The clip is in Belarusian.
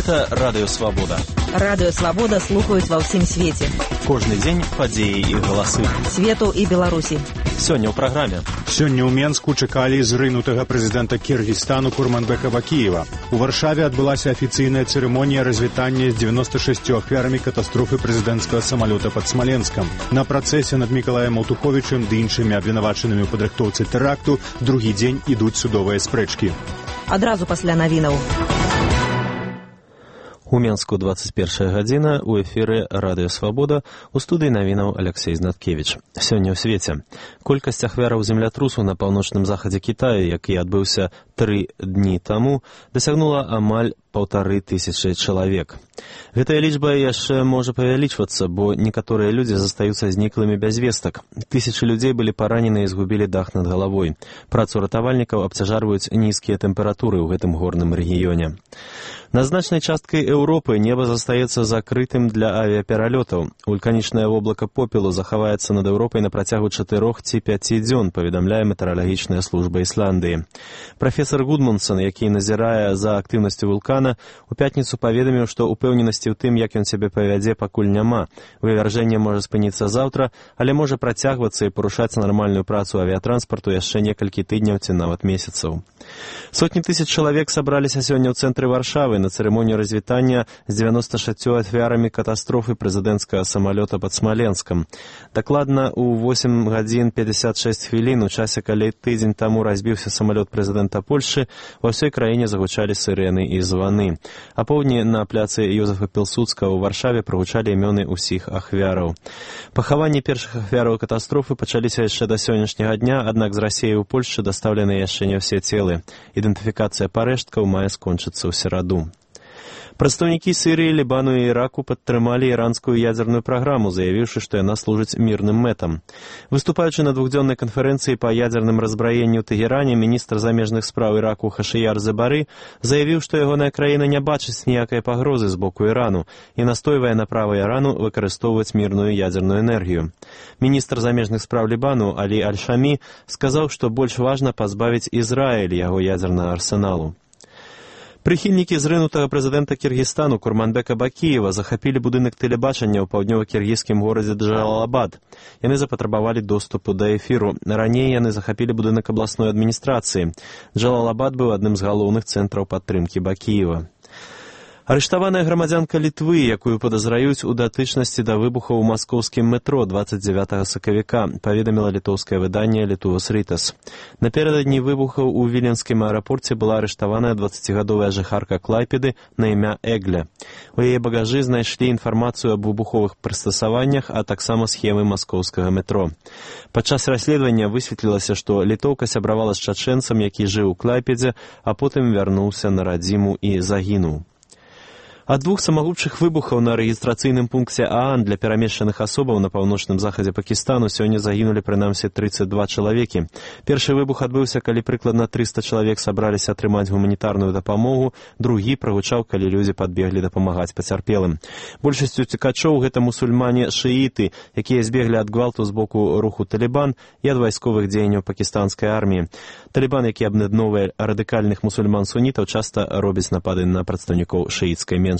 Гэта Радыё Свабода. Радыё Свабода слухаюць ва ўсім свеце. Кожны дзень падзеі і галасы. Свету і Беларусі. Сёння ў праграме. Сёння ў Менску чакалі зрынутага прэзідэнта Кіргізстану Курманбека Бакіева. У Варшаве адбылася афіцыйная цырымонія развітання з 96 ахвярамі катастрофы прэзідэнцкага самалёта пад Смаленскам. На працэсе над Мікалаем Аўтуховічым ды іншымі абвінавачанымі ў падрыхтоўцы тэракту другі дзень ідуць судовыя спрэчкі. Адразу пасля навінаў. У Менску 21 гадзіна, у эфіры Радыё Свабода, у студыі навінаў Алексей Знаткевіч. Сёння ў свеце. Колькасць ахвяраў землятрусу на паўночным захадзе Кітаю, які адбыўся 3 дні таму, дасягнула амаль 1500 чалавек. Гэтая лічба яшчэ можа павялічвацца, бо некаторыя людзі застаюцца зніклымі без вестак. Тысячы людзей былі паранены і згубілі дах над галавой. Працу ратавальнікаў абцяжарваюць нізкія тэмпературы ў гэтым горным рэгіёне. На значнай часткай Еўропы неба застаецца закрытым для авіапералётаў. Вулканічнае воблака попелу захаваецца над Еўропай на працягу 4 ці 5 дзён, паведамляе метэаралагічная служба Ісландыі. Прафесар Гудмунсон, які назірае за актыўнасцю вулкана, у пятніцу паведаміў, што упэўненасці ў тым, як ён сябе павядзе, пакуль няма. Вывяржэнне можа спыніцца заўтра, але можа працягвацца і парушаць нармальную працу авіятранспарту яшчэ некалькі тыдняў ці нават месяцаў. Сотні тысяч чалавек сабраліся сёння ў цэнтры Варшавы на цырымонію развітання з 96 ахвярамі катастрофы прэзідэнцкага самалёта пад Смаленскам. Дакладна ў 8 гадзін 56 хвілін, у часе, калі тыдзень таму разбіўся самалёт прэзідэнта Польшы, ва ўсёй краіне загучалі сырэны і званы. А поўдні на пляцы Ёзефа Пілсудскага ў Варшаве прагучалі імёны ўсіх ахвяраў. Пахаванні першых ахвяраў катастрофы пачаліся яшчэ да сённяшняга дня, аднак з Расіі ў Польшчы дастаўлены яшчэ не ўсе целы. Ідэнтыфікацыя парэшткаў мае скончыцца ў сераду. Прадстаўнікі Сірыі, Лібану і Іраку падтрымалі іранскую ядзерную праграму, заявіўшы, што яна служыць мірным мэтам. Выступаючы на двухдзённай канферэнцыі па ядзерным разбраенні ў Тэгеране, міністр замежных спраў Іраку Хашыяр Зебары заявіў, што ягоная краіна не бачыць ніякай пагрозы з боку Ірану і настойвае на права Ірану выкарыстоўваць мірную ядзерную энергію. Міністр замежных спраў Лібану Алі Аль-Шамі сказаў, што больш важна пазбавіць Ізраіль яго ядзернага арсеналу. Прыхільнікі зрынутага прэзідэнта Кіргізстану Курманбека Бакіева захапілі будынак тэлебачання ў паўднёва-кіргізскім горадзе Джалалабад. Яны запатрабавалі доступу да эфіру. Раней яны захапілі будынак абласной адміністрацыі. Джалалабад быў адным з галоўных цэнтраў падтрымкі Бакіева. Арыштаваная грамадзянка Літвы, якую падазраюць у датычнасці да выбухаў у маскоўскім метро 29 сакавіка, паведаміла літоўскае выданне Літувас Рытас. Напярэдадні выбухаў у віленскім аэрапорце была арыштаваная 20гадовая жыхарка Клайпеды на імя Эгля. У яе багажы знайшлі інфармацыю аб выбуховых прыстасаваннях, а таксама схемы маскоўскага метро. Падчас расследавання высветлілася, што літоўка сябравала з чачэнцам, які жыў у Клайпедзе, а потым вярнуўся на радзіму і загінуў. Ад 2 самагубчых выбухаў на рэгістрацыйным пункце Аан для перамешчаных асобаў на паўночным захадзе Пакістану сёння загінулі прынамсі 32 чалавекі. Першы выбух адбыўся, калі прыкладна 300 чалавек сабраліся атрымаць гуманітарную дапамогу, другі прагучаў, калі людзі падбеглі дапамагаць пацярпелым. Большасць уцекачоў гэта мусульмане-шыіты, якія збеглі ад гвалту з боку руху Талібан і ад вайсковых дзеянняў пакістанскай арміі. Талібан, які аб'ядноўвае радыкальных мусульман-сунітаў, часта робіць напады на прадстаўнікоў шыіцкай меншасці.